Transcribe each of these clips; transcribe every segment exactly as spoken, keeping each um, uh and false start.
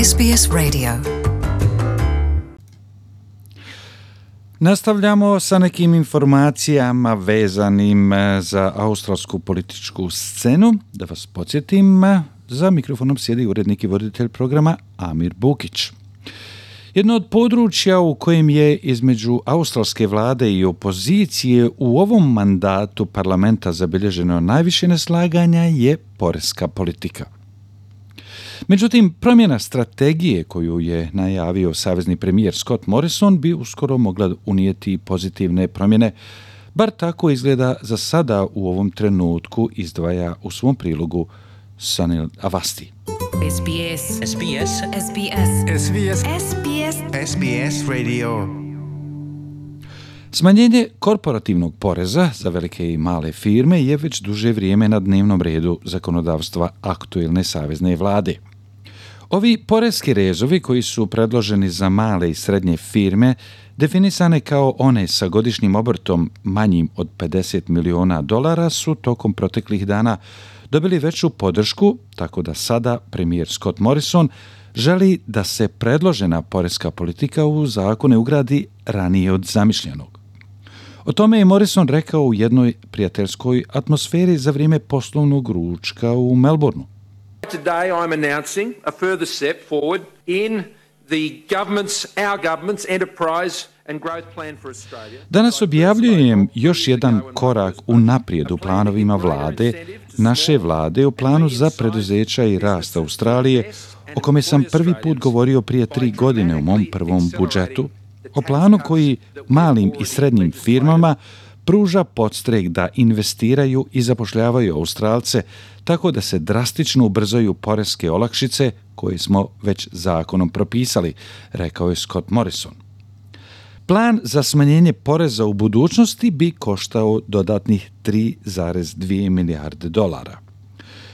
S B S Radio. Nastavljamo sa nekim informacijama vezanim za australsku političku scenu. Da vas podsjetim, za mikrofonom sjedi urednik i voditelj programa Amir Bukić. Jedno od područja u kojem je između australske vlade i opozicije u ovom mandatu parlamenta zabilježeno najviše neslaganja je poreska politika. Međutim, promjena strategije koju je najavio savezni premijer Scott Morrison bi uskoro mogla unijeti pozitivne promjene, bar tako izgleda za sada u ovom trenutku, izdvaja u svom prilogu Sunil Avasti. S B S. S B S. S B S. S B S. S B S. S B S Radio. Smanjenje korporativnog poreza za velike i male firme je već duže vrijeme na dnevnom redu zakonodavstva aktuelne savezne vlade. Ovi poreski rezovi koji su predloženi za male i srednje firme definisane kao one sa godišnjim obrtom manjim od pedeset miliona dolara su tokom proteklih dana dobili veću podršku, tako da sada premijer Scott Morrison želi da se predložena poreska politika u zakone ugradi ranije od zamišljenog. O tome je Morrison rekao u jednoj prijateljskoj atmosferi za vrijeme poslovnog ručka u Melbourneu. Today I'm announcing a further step forward in the government's, our government's enterprise and growth plan for Australia. Danas objavljujem još jedan korak u naprijed u planovima vlade, naše vlade u planu za preduzeća i rast Australije, o kome sam prvi put govorio prije tri godine u mom prvom budžetu, o planu koji malim i srednjim firmama pruža podstrek da investiraju i zapošljavaju Australce tako da se drastično ubrzaju poreske olakšice koje smo već zakonom propisali, rekao je Scott Morrison. Plan za smanjenje poreza u budućnosti bi koštao dodatnih tri zarez dvije milijarde dolara.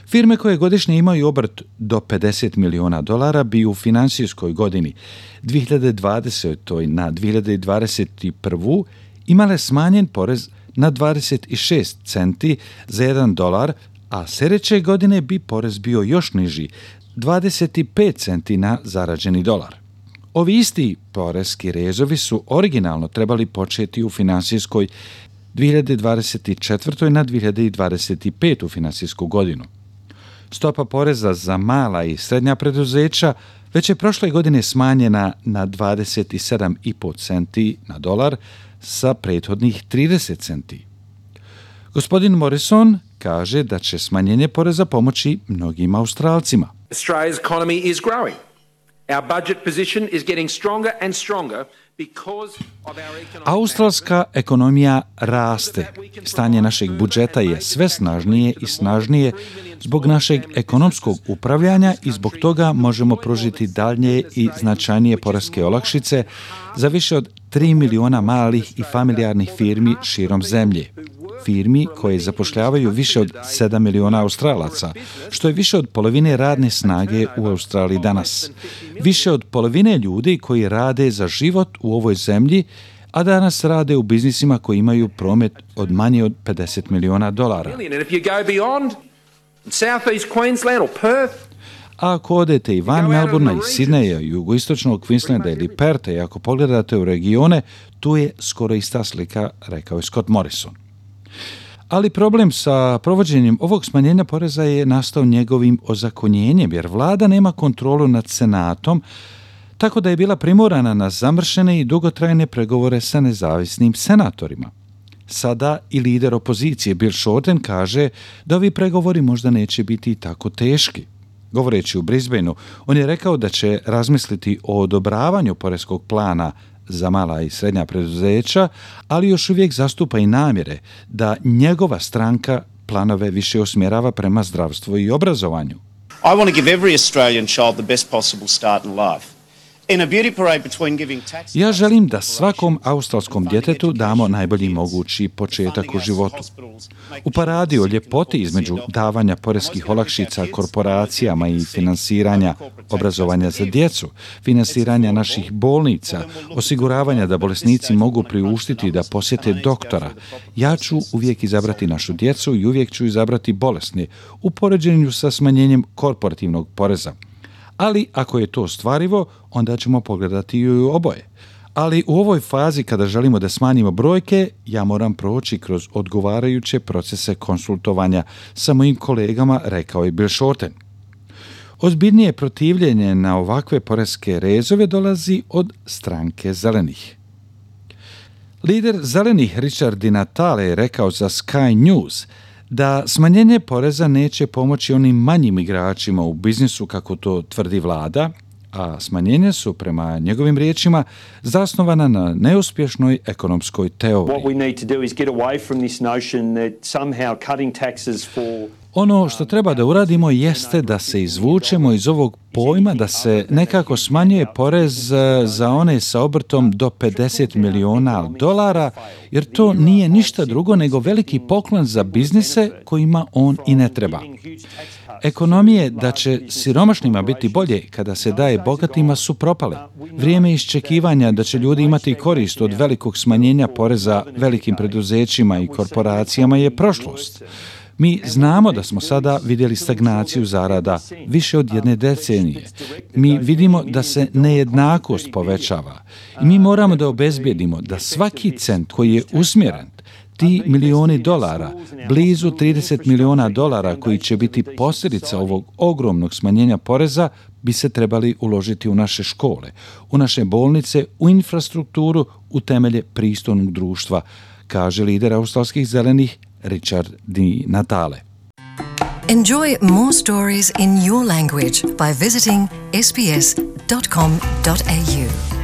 Firme koje godišnje imaju obrt do pedeset miliona dolara bi u financijskoj godini dvije hiljade dvadesete. na dvije hiljade dvadeset prvu. imale smanjen porez na dvadeset šest centi za jedan dolar, a sljedeće godine bi porez bio još niži, dvadeset pet centi na zarađeni dolar. Ovi isti poreski rezovi su originalno trebali početi u financijskoj dvije hiljade dvadeset četvrte. na dvije hiljade dvadeset petu. financijsku godinu. Stopa poreza za mala i srednja preduzeća već je prošle godine smanjena na dvadeset sedam zarez pet centi na dolar sa prethodnih trideset centi. Gospodin Morrison kaže da će smanjenje poreza pomoći mnogim Australcima. Australia's economy is growing. Our budget position is getting stronger and stronger because of our economic... Australska ekonomija raste. Stanje našeg budžeta je sve snažnije i snažnije zbog našeg ekonomskog upravljanja i zbog toga možemo pružiti daljnje i značajnije poreske olakšice za više od tri miliona malih i familijarnih firmi širom zemlje. Firmi koje zapošljavaju više od sedam miliona Australaca, što je više od polovine radne snage u Australiji danas. Više od polovine ljudi koji rade za život u ovoj zemlji, a danas rade u biznisima koji imaju promet od manje od pedeset miliona dolara. A ako odete i van Melbournea i Sidneja, jugoistočnog Queenslanda ili Perta i ako pogledate u regione, tu je skoro ista slika, rekao je Scott Morrison. Ali problem sa provođenjem ovog smanjenja poreza je nastao njegovim ozakonjenjem, jer vlada nema kontrolu nad senatom, tako da je bila primorana na zamršene i dugotrajne pregovore sa nezavisnim senatorima. Sada i lider opozicije Bill Shorten kaže da ovi pregovori možda neće biti tako teški. Govoreći u Brisbaneu, on je rekao da će razmisliti o odobravanju poreskog plana za mala i srednja preduzeća, ali još uvijek zastupa i namjere da njegova stranka planove više usmjerava prema zdravstvu i obrazovanju. I want to give every Australian child the best possible start in life. Ja želim da svakom australskom djetetu damo najbolji mogući početak u životu. U paradi o ljepoti između davanja poreskih olakšica korporacijama i finansiranja obrazovanja za djecu, finansiranja naših bolnica, osiguravanja da bolesnici mogu priuštiti da posjete doktora, ja ću uvijek izabrati našu djecu i uvijek ću izabrati bolesne u poređenju sa smanjenjem korporativnog poreza. ali ako je to ostvarivo, onda ćemo pogledati i oboje. Ali u ovoj fazi kada želimo da smanjimo brojke, ja moram proći kroz odgovarajuće procese konsultovanja sa mojim kolegama, rekao je Bill Shorten. Ozbiljnije protivljenje na ovakve poreske rezove dolazi od stranke zelenih. Lider zelenih Richard Di Natale je rekao za Sky News da smanjenje poreza neće pomoći onim manjim igračima u biznisu kako to tvrdi vlada, a smanjenja su, prema njegovim riječima, zasnovana na neuspješnoj ekonomskoj teoriji. Ono što treba da uradimo jeste da se izvučemo iz ovog pojma da se nekako smanjuje porez za one sa obrtom do pedeset miliona dolara, jer to nije ništa drugo nego veliki poklon za biznise kojima on i ne treba. Ekonomije da će siromašnima biti bolje kada se daje bogatima su propale. Vrijeme iščekivanja da će ljudi imati korist od velikog smanjenja poreza velikim preduzećima i korporacijama je prošlost. Mi znamo da smo sada vidjeli stagnaciju zarada više od jedne decenije. Mi vidimo da se nejednakost povećava i mi moramo da obezbijedimo da svaki cent koji je usmjeren, ti milioni dolara, blizu trideset miliona dolara koji će biti posljedica ovog ogromnog smanjenja poreza, bi se trebali uložiti u naše škole, u naše bolnice, u infrastrukturu, u temelje pristojnog društva, kaže lider australskih zelenih Richard Di Natale. Enjoy more stories in your language by visiting s b s dot com dot a u.